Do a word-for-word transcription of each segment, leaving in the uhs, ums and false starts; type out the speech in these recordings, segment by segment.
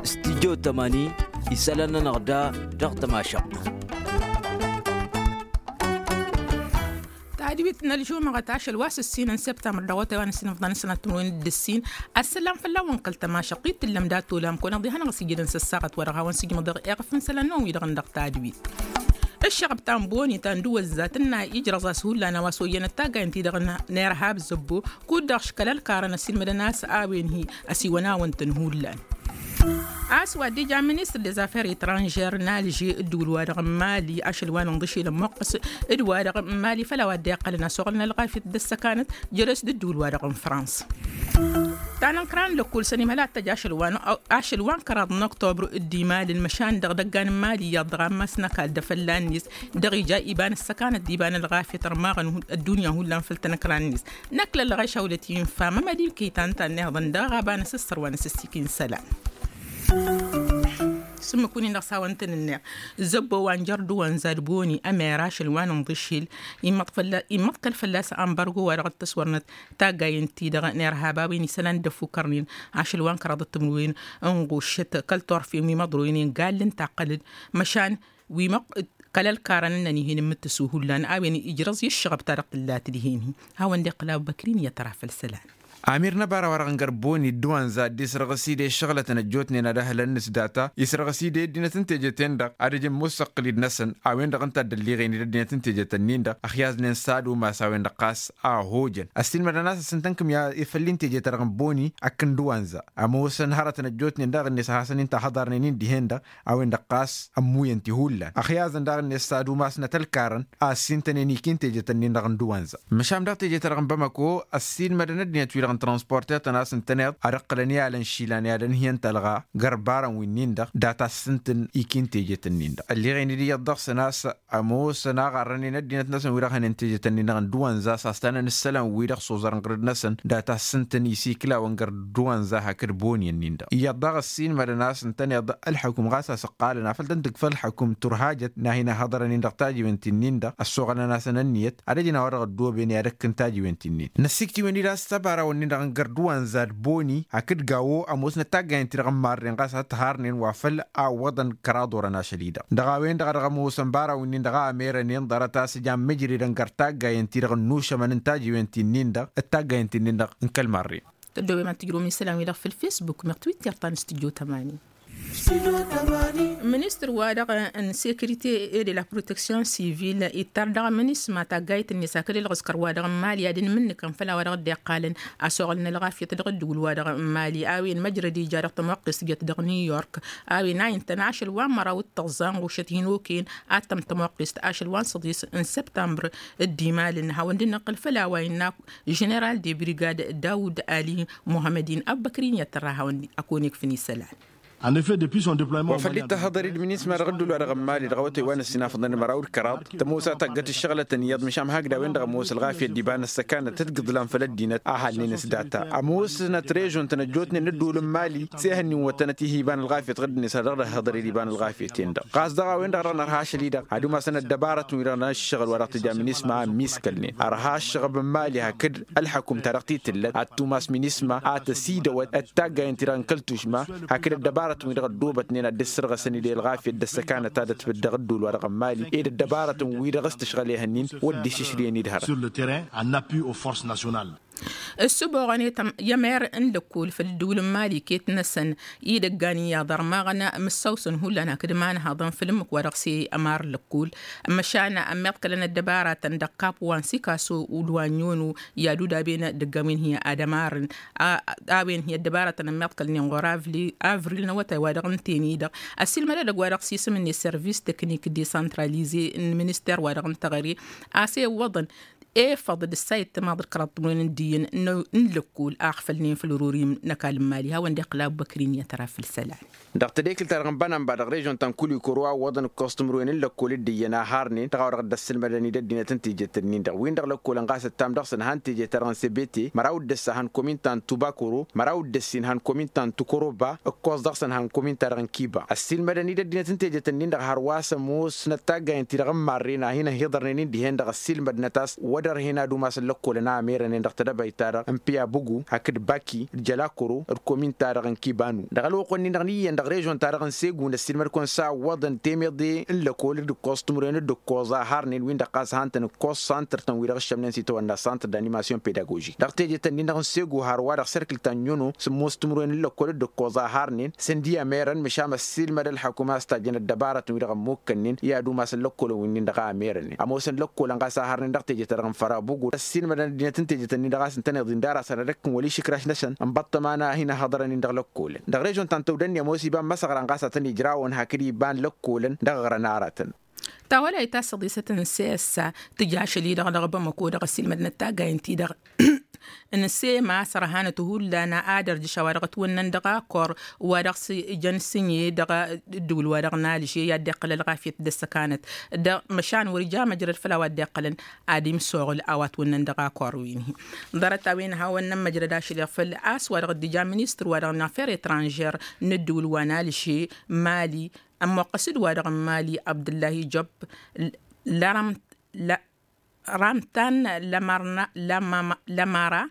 Stidyo tămani isălan-nănăɣ da dăɣ-tămašăɣt. Tadwit n-ălžumăɣăt ašăl wa s-ǝssin n-săbtămăr dăɣ-otay wa n-ǝssin ǝfḍăn sănăt timǝrwen d-ǝssin. Ăssălam fălla-wăn kăl-tămašăɣt-i t-tǝllăm dat-olam kăwăn-ăḍḍihănăɣ s-ijǝdăn s-ăssaɣăt wa dăɣ-hawăn-sǝjmăḍ eɣ efăn isălan-năwăn-wi-dăɣ n-dăɣ tadwit. Ǝššăɣăb ta n-boni ta n-dăwăzzat ǝnna ijrăẓ a-s hullan a-wa s-oyyăn ăttagay ǝnta-i-dăɣ n-irhab zăbbo kud-dăɣ škăl ălkarăn ăsilmădăn a-s a-wen hi-ăsiwăn-awăn-tăn hullan. A-s wa dd-ija ministăr dezaffer etranžer n-alže ǝddǝwǝl-wa-dăɣ n-mali ašăl wa n-inḍǝšel ămmuqqăs d-wa-dăɣ n-mali făll-a-wa dd-iqqălăn a-s oɣǝlăn ălɣafyăt d-ăssăkanăt jere-s d-ǝddǝwǝl-wa-dăɣ n-frans. Ta n-ǝnkăra n-lăkkul s-ănimhăl ad-t-ăj ašăl wa n-a ašăl wa n-kăraḍ n-oktobru d-imalăn măšan dăɣ-idăggan n-mali iyyăḍ dăɣ-ammas n-ăkall d-afălla-net dăɣ-ija iba n-ăssăkanăt d-iba n-ălɣafyăt ărmaɣăn ăddunya hullan făll-tanăkra-net. Năkk lăllăɣeš a wălăt-infa mămădi kăy-ta n-tannihăḍăn dăɣ-aɣaba n-asǝssăr wa n-asǝssikin isălan. S-ǝmmǝk-win-in dăɣ-s hawăn-tăn-ǝnneɣ zăbbo wa n-jăr d-uwănza d-boni ămer ašăl wa n-inḍǝšil immăḍ kăl-fălla-s ănbărgo wa dăɣ-t-ăswărnăt taggayen-ti-dăɣ n-irhab a-wen isălan d-ăffukărnen ašăl wa n-kăraḍăt timǝrwen n-ɣušăt kăl-turfen wi măḍroynen gall n-taqqălăd măšan wi măqqăl kăl-ălkarăn ǝnnăn ih'-en n-imǝttǝsu hullan a-wen ijrăẓ i-ǝššăɣăb ta dăɣ-tǝllat dihen-hi. Hawăn-dd-iqqǝl abubăkrin i-ătra făll-isălan. Amir n-ăbara wa-dăɣ n-gărboni d-duwanza dd-isrăɣǝs-dd i-ǝššăɣlătăn ăjjootnen ad-ăhǝlăn n-s data isrăɣǝs-dd i-ăddinăt n-teje-ten-dăɣ ad-ăjǝn musăqqǝl-dd-năsăn a-wen-dăɣ ǝnta a dd-ălliɣen-dd ăddinăt n-teje-tăn-in-dăɣ ăxyaẓnen s-ad-umas a-wen-dăɣ ɣas a ăhojăn ăssiilmădăn a-s ăssintăn kǝmya i-făll-in teje-ta-dăɣ n-boni akk n-duwanza ămoosăn hărătăn ăjjootnen daɣ-net a hasăn-in-tahăḍarnen-in dihen-dăɣ a-wen-dăɣ ɣas ămmuyăn-t-i hullan ăxyaẓăn daɣ-net s-ad-umasnăt ălkarăn a ăssintănen ikin teje-tăn-in-dăɣ n-duwanza. Măšan daɣ teje-ta-dăɣ n-bamăko ăssiilmădăn ăddinăt-wi-dăɣ n-transportetăn a-s ǝntăneḍ ad-ǝqqǝlăn i-alăn išilan i-ad-ănhǝyăn talɣa gărbarăn wi-nin-dăɣ data ǝssǝntǝn ikin teje-tăn-in-dăɣ ălliɣen-dd iyyăḍ dăɣ-săn a-s ămoosăn aɣarrănen ăddinăt-năsăn wi-dăɣ hănen teje-tăn-in-dăɣ n-duwănza s-astanăn ǝssălan-wi-dăɣ s-oẓărăn ɣǝrǝd-năsăn data ǝssǝntǝn isiklawăn gărduwănza hakd boni-nin-dăɣ iyyăḍ daɣ ăssiilmădăn a-s ǝntăneḍ ălḥăkum ɣas a-s ǝqqalăn afăl tăn-tǝkfa ălḥăkum turhajăt n-ad-hin-ăhhăḍărăn-in dăɣ-tajiwen ti-nin-dăɣ ăssoɣălăn-asăn ǝnniyăt ad-ăjǝn a-wa dăɣ-ăddooben i-ad-ăkk n-tajiwen ti-nin năssiktǝwăn-dd a-s ăbaraw-nin-dăɣ n-gărduwănza d-boni hakd gawo ămoosnăt taggayen-ti-dăɣ n-marren ɣas a t-harnen wa făl a ǝwwăḍăn kăraḍ orăn ašăl-i-dăɣ dăɣ-a-wen-dăɣ a dăɣ-ămoosăn baraw-nin-dăɣ a ămerănen ḍarăt a-s ǝjan mǝjredăn găr taggayen-ti-dăɣ ǝnnušămăn n-tajiwen ti-nin-dăɣ d-taggayen ti-nin-dăɣ n-kăl-marren. Tăddoobem ad-tǝjrǝwăm isălan-wi-dăɣ făll-facebook meɣ twitter ta n-studyo tămani. Ministăr-wa-dăɣ n-sécurité et de la protection civile ittar dăɣ-minisma taggayt-net hakd ǝlɣǝskăr-wa-dăɣ n-mali ad-ǝnmǝnnǝkăn făll-a-wa dăɣ-dd-iqqalăn a-s oɣălăn ălɣafyăt dăɣ-ǝddǝwǝl-wa-dăɣ n-mali a-wen măjrăd ija dăɣ-tămoqqest jăt dăɣ-new york a-wen a intăn ašăl wa n-măraw d-tăẓẓa n-ɣušăt hin-okăyăn ad-tăm tămoqqest ašăl wa n-săḍis n-săbtămbăr. D-imalăn hawăn-dd-năqqǝl făll-a-wa innă ženeral de brigad dawud ali muhămmăd-in ăbbăkrin i-ad-tărra hawăn-ăkonekfăn isălan. Wa făl dd-tăhhăḍăr-dd minisma dăɣ-ǝddǝwǝl-wa-dăɣ n-mali dăɣ-awătay wa n-ăssinafăḍăn d-măraw d-kăraḍ tămoos a taggăt ǝššăɣlătăn iyyăḍ măšan hakd a-wen-dăɣ ămoos ălɣafyăt d-iba n-ăssăkanăt d-gǝḍlan făll-ăddinăt a halnen s-data ămoosnăt režon-tăn ăjjootnen n-ǝddǝwǝl n-mali s-ehăn n-inwătănăt ih' iba n-ălɣafyăt ɣǝddǝnet a dăɣ-dd-ăhhăḍăr-dd iba n-ălɣafyăt-en-dăɣ ɣas dăɣ-a-wen-dăɣ dăɣ-nărha ašăl-i-dăɣ ad-umasăn ăddăbarătăn-wi-dăɣ n-ǝššăɣǝl wa dăɣ-tǝja minisma a ămmiiskălnen ărha ǝššăɣăb n-mali hakd ălḥăkum ta dăɣ-t-tǝllăt ad-tumas minisma a tăsidăwăt d-taggayen-ti-dăɣ n-kăl-tušma hakd ăddăbarătăn-wi-dăɣ ăddoobătnen ad-dd-ǝssărɣăsăn-dd i-ălɣafyăt d-ăssăkanăt ta dăt-fǝd dăɣ-ǝddǝwǝl-wa-dăɣ n-mali ed ăddăbarătăn-wi-dăɣ s-tǝšɣǝl ehăn-in wăr dd-išǝšlǝyăn-dd hărăt. Sur le terrain en appui aux forces nationales. Ǝssǝboɣăn i-tăm i-ămer n-lăkkol făll-ǝddǝwǝl n-mali iket-năsăn idăggan iyyăḍ ărmaɣăn mǝssawsăn hullan hakd imanhaḍăn făll-ǝmmǝk wa dăɣ-s i-ămar lăkkol măšan ămmiḍkălăn ăddăbaratăn dăɣ-kap wa n-sikaso d-wa n-yono i-ad-udaben dăgg-a-wen hi-ad-ămarăn a-wen hi-ăddăbaratăn ămmiḍkălnen ɣur-avli avril n-awătay wa dăɣ-ǝnten-i-dăɣ ăssiilmăd edăgg wa dăɣ-s isǝm-net service technique decentralize n-minister wa dăɣ-n teɣăre a-s ewwăḍăn efăḍ d-ǝssa i-ăttămaḍ d-kăraḍ timǝrwen n-dd-iyyăn n-lăkkol a ăɣfălnen făll-ărurim n-ăkall n-mali hawăn-dd-iqqǝl abubăkrin i-ad-tăra făll-isălan. Dăɣ-tadekǝlt-ta-dăɣ n-bănănba dăɣ-režon ta n-kulikoro a ǝwwăḍăn ǝkkoẓ timǝrwen n-lăkkol d-iyyăn a harnen dăɣ-a-wa dăɣ-dd-ăssǝlmădăn-dd ăddinăt n-tejet-ǝnnin-dăɣ win-dăɣ lăkkolăn ɣas ǝttam dăɣ-săn han teje-ta-dăɣ n-sebete măraw d-ǝssa han komin ta n-tubakoro măraw d-ǝssin han komin ta n-tukoroba ǝkkoẓ dăɣ-săn han komin ta dăɣ-n kiba ăssiilmădăn-dd ăddinăt n-tejet-ǝnnin-dăɣ hărwa s-ămoosnăt taggayen-ti-dăɣ n-marren a hin-ăhiḍărnen-in dihen-dăɣ ăssiilmădnăt a-s wăr Dăr-hen ad-umasăn lăkkolăn a ămerănen dăɣ-tedăbayt-ta-dăɣ n-piyabugu hakd baki d-jălakoro d-komin-ta-dăɣ n-kibanu dăɣ-ălwăqq-wǝnnin-dăɣ n-iyyăn dăɣ-režon-ta-dăɣ n-segu n-ăssiilmăd-kăwăn s-a ǝwwăḍăn temeḍe n-lăkkol d-ǝkkoẓ timǝrwen d-ǝkkoẓ a harnen-win-dăɣ ɣas han-tăn-ǝkkoẓ santăr-tăn-wi-dăɣ ǝššămnen s-itawănna santăr d-animasyon pedagožik dăɣ-teje-tăn-in-dăɣ n-segu har wa-dăɣ serkǝl ta n-iono s-ămoos timǝrwen n-lăkkol d-ǝkkoẓ a harnen sǝndi ămerăn măšan ăssiilmăd ălḥăkum a-s tajjăn ăddăbarătăn-wi-dăɣ ămmukkănnen i-ad-umasăn lăkkolăn-win-nin-dăɣ a ămerănen ămoosăn lăkkolăn ɣas a harnen dăɣ-teje-ta-dăɣ n-fărabugu ăssiilmădăn ăddinăt n-teje-tăn-in-dăɣ a-s ǝntăneḍ-in d-ar-asăn ad-ăkkǝn wăla išǝkraš-năsăn n-ibaṭṭăma n-ad-hin-ăhhăḍărăn-in dăɣ-lăkkolăn dăɣ-režon ta n-tăwdănni ămoos iba n-imăsăɣra n-ɣas ad-tăn-ijrawăn hakd iba n-lăkkolăn dăɣ-ăɣrăn aratăn. Tawălayt ta s-ăḍisăt n-sesa tǝja ašăl-i-dăɣ dăɣ-bamăko dăɣ-ăssiilmădnăt taggayen-ti-dăɣ n-sema s-ărhanăt hullan ad-ărjǝš a-wa dăɣ-ătwănnăn dăɣ-akor wa dăɣ-s ijăn sǝnye dăɣ-ǝddǝwǝl wa dăɣ-nalže i-ad-dd-iqqăl ălɣafyăt d-ăssăkanăt dăɣ-măšan wăr ija măjrăd făll-a-wa dd-iqqălăn ad-imsoɣǝl a-wa ătwănnăn dăɣ-akor-win-hi. Ḍarăt-a-wen hawăn-nămmăjrăd ašăl-i făll-a-s wa dăɣ-dd-ija ministăr wa dăɣ-n affer etranžer n-ǝddǝwǝl wa nalže mali ămmoqqăs d-wa-dăɣ n-mali abdǝllahi job lărăm lărăm tan lămăra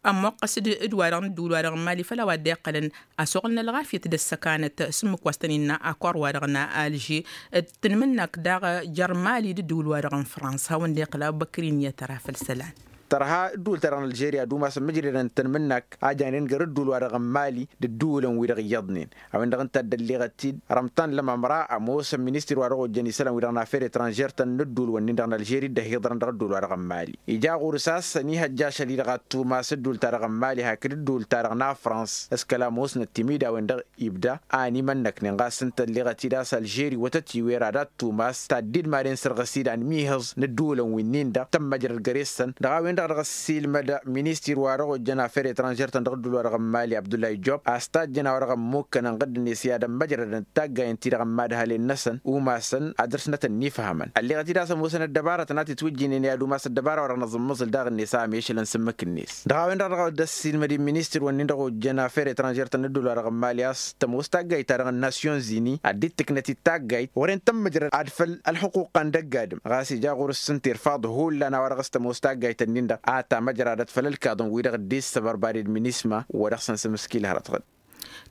ămmoqqăs d-wa-dăɣ n-ǝddǝwǝl wa-dăɣ n-mali făll-a-wa dd-iqqălăn asuɣǝl n-ălɣafyăt d-ăssăkanăt s-ǝmmǝk wa s-tăn-innă akor wa-dăɣ n-alže d-tanmǝnnakt daɣ jer-mali d-ǝddǝwǝl wa-dăɣ n-frans hawăn-dd-iqqăl abubăkr-in i-ad-tăra făll-isălan. Tărha ǝddǝwǝl-ta-dăɣ n-ălžeriya d-umasăn mǝjredăn d-tanmǝnnakt a janen găr ǝddǝwǝl-wa-dăɣ n-mali d-ǝddǝwǝlăn-wi-dăɣ iyyăḍnen a-wen-dăɣ ǝnta a dd-ălleɣăt-dd rămtan lămămra ămoosăn ministir-wa-dăɣ ojjăn isălan-wi-dăɣ n-affer etranžer-tăn n-ǝddǝwǝl-wǝnnin-dăɣ n-ălžeri dd-ăhiḍărăn dăɣ-ǝddǝwǝl-wa-dăɣ n-mali ija ɣur-s a-s ănihăjja ašăl-i-dăɣ ad-tumas ǝddǝwǝl-ta-dăɣ n-mali hakd ǝddǝwǝl-ta-dăɣ n-afrans s-kăla ămoosnăt timǝydawen-dăɣ ibda a ănimănnăknen ɣas ǝnta ălleɣăt-dd a-s ălžeri wătăt iwer ad-ad-tumas taddǝd madăn sărɣǝs-dd anmihǝẓ n-ǝddǝwǝlăn wi-nin-dăɣ tămmăjrăd găre-săn dăɣ-a-wen-dăɣ dăɣ-ăssiilmăd ministir-wa-dăɣ ojjăn affer etranžer-tăn dăɣ-ǝddǝwǝl-wa-dăɣ n-mali abdullahi job a-s tajjăn a-wa dăɣ-ămmukkănăn ɣǝdd-net i-ad-ămmăjrădăn d-taggayen-ti-dăɣ n-imadhalen-năsăn umasăn ad-dăr-snăt ănnifhămăn ălleɣăt-dd a-s ămoosăn ăddăbarătăn a t-itwǝjjǝynen i-ad-umas ăddăbara wa dăɣ-năẓǝmmǝẓǝl daɣ-net a ămešălăn s-ǝmmǝk-net dăɣ-a-wen-dăɣ dăɣ-dd-ăssiilmăd i-ministir-wǝnnin-dăɣ ojjăn affer etranžer-tăn n-ǝddǝwǝl-wa-dăɣ n-mali a-s tămoos taggayt-ta-dăɣ n-nasyon zini ad-dd-tǝknăt d-taggayt wăren tămmăjrăd ad-făll-ălxuqquq ta n-dăgg-adǝm ɣas ija ɣur-s s-ǝnta irfaḍ hullan a-wa dăɣ-s tămoos taggayt-ǝnnin-dăɣ a tamăjradăt făll-ălkaḍăn-wi-dăɣ dd-issăbărbaded minisma wa dăɣ-săn s-amǝskil hărăt ɣǝd.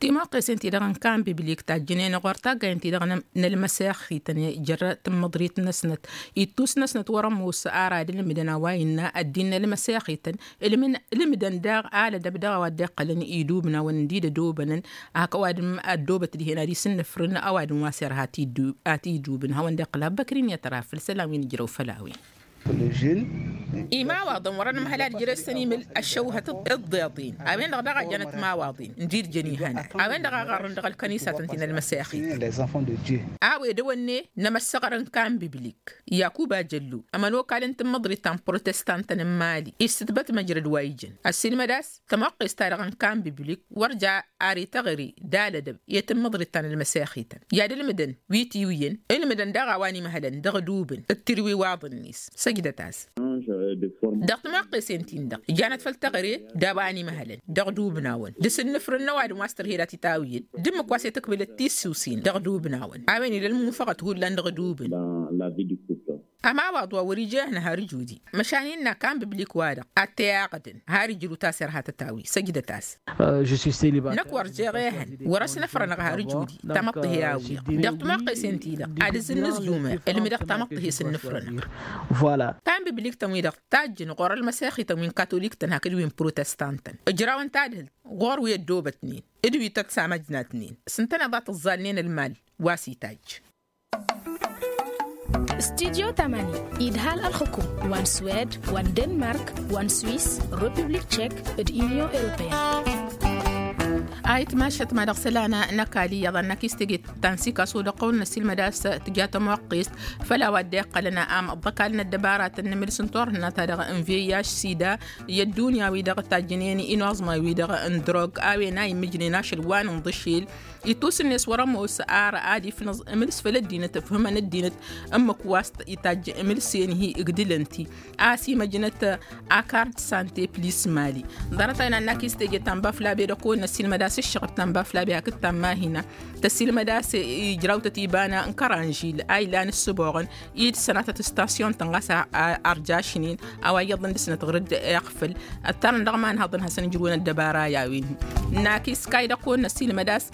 Timuqqesen-ti-dăɣ n-kan biblik tajjǝnen ɣur-taggayen-ti-dăɣ n-ălmăsexităn jer-tǝmmǝḍrit-năsnăt ittus-năsnăt wăr-ămoos ara d-ǝlmǝdăn a-wa innă ăddin n-ălmăsexităn ǝlmǝdăn daɣ alădăb dăɣ-a-wa dd-iqqălăn idubnawăn dd-idădobănăn hak ăwadǝm ăddobăt dihen ad-isǝnnǝfrǝn ăwadǝm wa s-irha a t-idubǝn hawăn-dd-iqqǝl abbăkrin i-ad-tăra făll-isălan wi n-ǝjrăw făll-a-wen. Imawaḍăn wăren ǝmhăl ad-jere-săn imǝl ăššăwhăt d-iḍeḍen a-wen-dăɣ daɣ a jănăt imawaḍen n-dd-jăn ihănan a-wen-dăɣ a ɣarrǝn dăɣ-ălkănisatăn ti n-ălmăsexit a-wen dăɣ-wănne n-emăssăɣăr n-kan biblik yakuba jăllu ămănokal n-tǝmmǝḍrit ta n-protestantăn n-mali issǝtbăt măjrăd wa ijăn ăssiilmăd a-s tămoqqes-ta-dăɣ n-kan biblik wăr ja ar ităɣri d-alădăb i-tǝmmǝḍrit ta n-ălmăsexităn i-ad-ǝlmǝdăn wi tiwǝyăn ǝlmǝdăn daɣ a-wa n-imhălăn dăɣ-dubǝn d-tirwiwaḍ-net săjdăt-as. Dăɣ-timoqqesen-tin-dăɣ janăt făll-tăɣre d-a-wa n-imhălăn dăɣ-dubǝn-awăn d-asǝnnǝfrǝn n-ăwadǝm wa s-tărhed a t-itawǝyăn d-ǝmmǝk wa s-itǝkbǝlăt tissusen dăɣ-dubǝn-awăn a-wen ila ălmunfăɣăt hullan dăɣ-dubǝn. Ămawaḍ wa wăr-ija ehăn har ǝjudi măšan innă kan biblik-wa-dăɣ ad-t-iyaɣdăn har ijrǝw ta s-irha tătawi săjdăt-as. Năkk wăr jeɣ ehăn wăr-ăsnăfrănăɣ har ǝjudi tamăḍt-hi a-wi-dăɣ dăɣ-timoqqesen-ti-dăɣ ad-ǝzzǝnnǝzjumăr ǝlmǝdăɣ tamăḍt-hi s-ǝnnǝfrănăɣ. Kan-biblik-tăn-wi-dăɣ tajjǝn ɣur-ălmăsexităn wi n-katolik-tăn hakd wi n-protestantăn ǝjrawăn tadhǝlt ɣur-wi ăddoobătnen d-wi tăt-samăjnatnen s-ǝntăneḍ a tǝẓẓalnen ălmal wa s-itajj. Studyo tamani idhal ălxukum wa n-swed wa n-denmark wa n-swis, republik tchek d-unyon europeyăn. Ayǝtmašăt ma dăɣ-isălan n-ăkall iyyăḍ ad-năkk s-teje ta n-sikasu dăɣ-tăwăl n-ăssiilmăd a-s tǝja tămoqqest făll-a-wa dd-iqqălăn am ăḍḍăkal n-ăddăbaratăn n-imǝls n-turhǝnna-ta-dăɣ n-vih sida i-ăddunya-wi-dăɣ tajjǝnen inuẓma-wi-dăɣ n-drog a-wen a immǝjnen ašăl wa n-inḍǝšel ittus-net wăr-ămoos ar ad-ifnǝẓ imǝls făll-ăddinăt ǝfhǝmăn ăddinăt ǝmmǝk wa s-itajj imǝlsen-hi ǝgdǝlăn-t-i a-s imăjnăt akard sante plis mali. Ḍarăt-a-wen ad-năkk s-teje ta n-bafăl abed ăkko n-ăssiilmăd a-s Ǝššăɣǝb ta n-baflabi hakd ta n-mahina tăsilmăd a-s ijrawtăt iba n-kăranžil a ilan ǝssǝboɣăn i-dd-sănatăt ǝstasyon-tăn ɣas a ărjašnen a-wa iyyăḍăn dăr-snăt ɣur-dd iɣfǝl ăttarăn dăɣ-imanhăḍăn hasăn-ǝjrǝwăn ăddăbara i-a-wen-hi. Naki s-kayy dăɣ-kăwăn năsilmăd a-s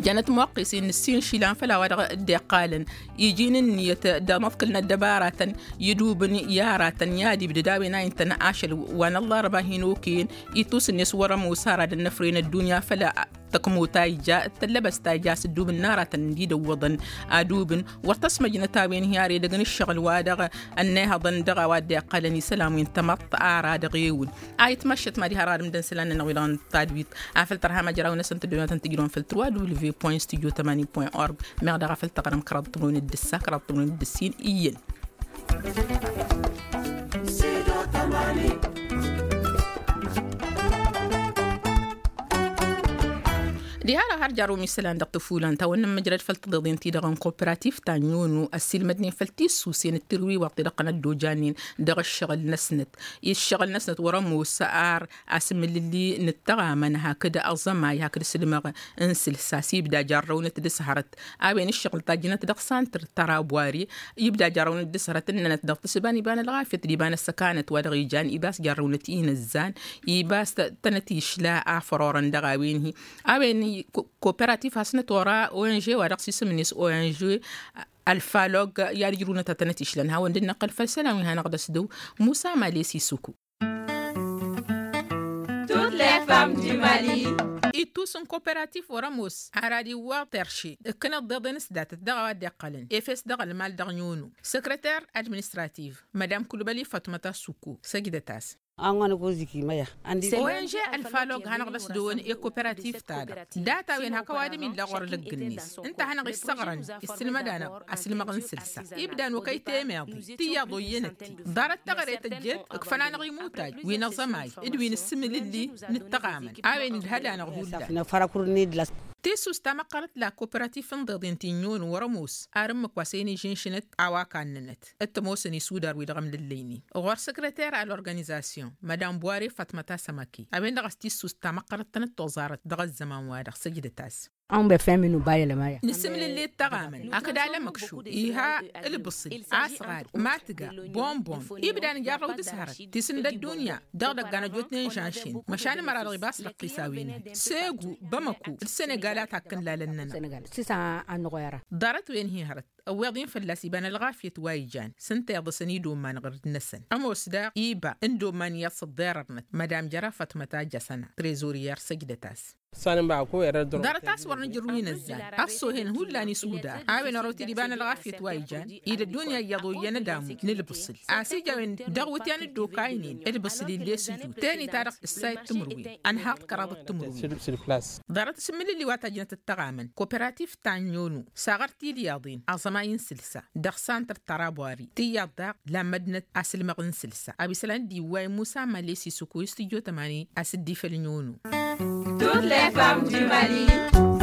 jănăt muqqis-in n-ǝssin išilan făll-a-wa dăɣ-dd-iqqalăn iji n-ǝnniyăt d-amăḍkǝl n-ăddăbaratăn idubǝn i-aratăn i-ad-ibdǝd a-wen a intăn ašăl wa n-ăllarba hin-okăyăn. Itusǝnnes wăr-ămoos ara d-ănnăfre n-ăddunya făll-tăkmot ta ija d-tăllăbăst ta ija a-s ǝddubǝn n-aratăn dd-idăwwăḍăn adubǝn wăr tăsmăjnăt a-wen hi-ar edăgg n-ǝššăɣǝl wa dăɣ-ănnayhăḍăn dăɣ-a-wa dd-iqqălăn isălan wi n-tamăḍt ara dăɣ-ewǝn. A itmăššăt mad-iha ăradǝm d-ǝnsălan-nănăɣ wi-dăɣ n-tadwit afăl tărha măjraw-năsăn tǝddǝwnatăn tǝjrăwăn făll-tǝrwa w point studio tămanin point org meɣ daɣ afăl tăɣrăm kăraḍ tǝmrăwen d-ǝssa kăraḍ tǝmrăwen d-ǝssin iyyăn. Diha-dăɣ har jarrum isălan dăɣ-tăfulan ta wănnăn măjrăd făll-tăḍeḍen-ti-dăɣ n-kooperativ ta n-yonu ăssiilmădnen făll-tissusen d-tirwiwăḍ ti-dăɣ tăn-ăddojannen dăɣ-ǝššăɣǝl-năsnăt. Ǝššăɣǝl-năsnăt wăr-ămoos ar asǝmǝlǝlli n-ǝttăɣamăn hakd aẓămay hakd asǝlmăɣ n-sǝlsa s-ibda jarrăwnăt d-s hărăt a-wen ǝššăɣǝl tajjnăt dăɣ-santăr tăra bwari ibda jarrăwnăt d-s hărăt ǝnnănăt dăɣ-tǝssǝba n-iba n-ălɣafyăt d-iba n-ăssăkanăt wa dăɣ-ijan ibas jarrăwnăt inăzzan ibas tănăt išla a fărorăn dăɣ-a-wen-hi. A-wen kooperativ hasnăt ora ong wa dăɣ-s isǝm-net ong alfalog i-ad-ǝjrǝwnăt ad-tănăt išlăn hawăn-dd-năqqăl făll-isălan wi hanăɣ-dd-ăsdăw. Musa males isuku. Ittus n-kooperatif wăr-ămoos ar ad-iwwaḍ terše ǝkkǝnăt d-iḍen s-datăt dăɣ-a-wa dd-iqqălăn efes dăɣ-ălmal dăɣ-nunu. Săkrăter administrativ madam kulbăli fatmăta sukku săjdăt-as. Ong alfalog hanăɣ-dd-ăsdăwăn i-kooperatif-ta-dăɣ data-wen hak ăwadǝm illa ɣur-lăgg-net ǝnta a hanăɣ-issăɣrăn issǝlmăd-anăɣ asǝlmăɣ n-sǝlsa ibda n-okăy temeḍe tiyyăḍ oyyăn-ătti. Ḍarăt teɣăre tăjjeet ǝkfăn-anăɣ imutaj wi n-aẓămay d-wi n-ǝssǝmǝlǝlli n-ǝttăɣamăn a-wen idhăd-anăɣ hullan. Tissust tamăqqărăt la kooperatif n-iḍeḍen ti n-yonu wăr-ămoos ar ǝmmǝk wa s-e-nǝžǝnšǝnăt a-wa kannănăt d-tămoosăn isudar wi-dăɣ ămlăllăynen ɣur-săkrăter al organizasyon madam bware fatmăta sămăki a-wen-dăɣ a-s tissust tamăqqărăt tănăt-toẓarăt dăɣ-ăzzăman-wa-dăɣ săjdăt-as. Nǝsǝmlǝlli d-taɣamăn hakd alămăkšo iha ǝlbǝṣǝl asɣad matǝga bonbon ibda nǝjarrăw d-s-hărăt tisǝn d-ăddunya dăɣ-idăggan ăjotnen žănšen măšan ămăra-dăɣ ibas lăqqis a-wen-hi segu bamăko d-sănegal a takkăn lalăn-nănăɣ. Ḍarăt-wen-hi hărăt ăwweḍ-in fălla-s iba n-ălɣafyăt wa ijan s-ǝnta iḍǝsăn idomman ɣǝrǝd-năsăn ămoos daɣ iba n-idomman iyyăḍ s-ǝḍḍerărnăt madam jăra fatmăt a jăsăna trezoriyar săjdăt-as. Ḍarăt a-s wăr nǝjrǝw inăzzan ăṣṣohen hullan isudar a-wen ărăw-t-dd iba n-ălɣafyăt wa ijan ila ăddunya iyyăḍ oyyăn ădamu n-ǝlbǝṣǝl a-s ija a-wen dăɣ-iwǝtyan dd-okaynen ǝlbǝṣǝl ill'-e sǝjud tenit-a-dăɣ ǝssayăt timǝrwen ănhaḍ kăraḍăt timǝrwen. Ḍarăt asǝmmǝlǝlli wa tajjnăt d-tăɣamăn kooperatif ta n-yonu saɣăr-t-dd iyyăḍen aẓămay n-sǝlsa dăɣ-santăr tărabuari tiyyăḍ daɣ lammădnăt asǝlmăɣ n-sǝlsa a-wa isălan dd-iwway musa males isuku i-studyo tămani a-s dd-ifăl n-yonu. Toutes les femmes du mali.